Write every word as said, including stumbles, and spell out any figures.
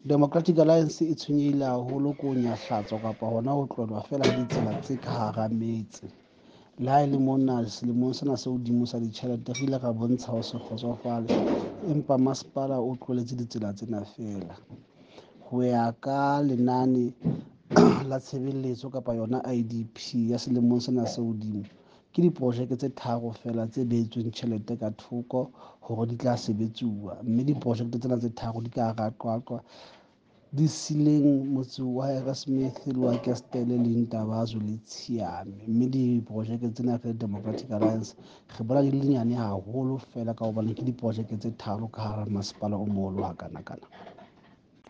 Democratic Alliance e tshwenyehile haholo ko nyahlatswa kapa hona ho tlolwa feela ha ditsela tse ka hara metse. Le ha e le mona selemong sena se hodimo sa ditjhelete re ile ra bontsha ho se kgotsofale, empa masepala o tloletse ditsela tsena feela. Ho ya ka lenane la tshebeletso kapa yona I D P ya selemong sena se hodimo, ke diprojeke tse tharo feela tse behetsweng tjhelete ka thoko hore di tla sebetsuwa, mme diprojeke tsena tse tharo di ka hara Qwaqwa, di sileng motse wa Harrismith le wa Kestele le Ntabazwe le Tshiame. Mme diprojeke tsena re Democratic Alliance re bona di le nyane haholo feela ka hobane ke diprojeke tse tharo ka hara masepala o moholo hakanakana.